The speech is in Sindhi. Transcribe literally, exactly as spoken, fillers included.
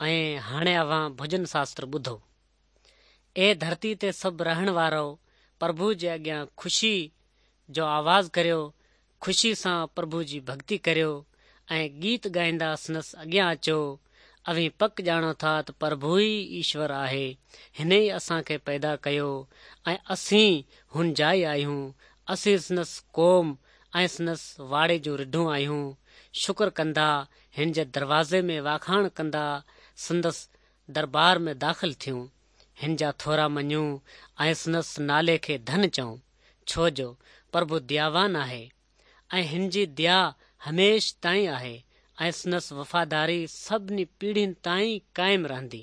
۽ هاڻي اوهان ڀڄن شاستر ٻڌو. اي ڌرتي تي سڀ رهڻ وارؤ، پرڀو جي اڳيان خوشي جو آواز ڪريو، خوشي سان پرڀو جي ڀڳتي ڪريو ۽ گيت ڳائيندا سندس اڳيان اچو. اوهين پڪ ڄاڻو ٿا ته پرڀو ئي ايشور آهي. هن ئي اسان کي پيدا ڪيو ۽ اسين هن جا ئي آهيون. اسين سندس قوم ۽ سندس واڙي جون رڍون آهيون. شڪر ڪندا هن جي دروازي ۾ واکاڻ ڪندا سندس دربار ۾ داخل ٿيون. هن جا ٿورا مڃون ۽ سندس نالي کي ڌن چئون، ڇو جو پرڀو دياوان آهي ۽ هن جي ديا هميشه تائين آهي ۽ سندس وفاداري سڀني پيڙهين تائين قائم رهندي.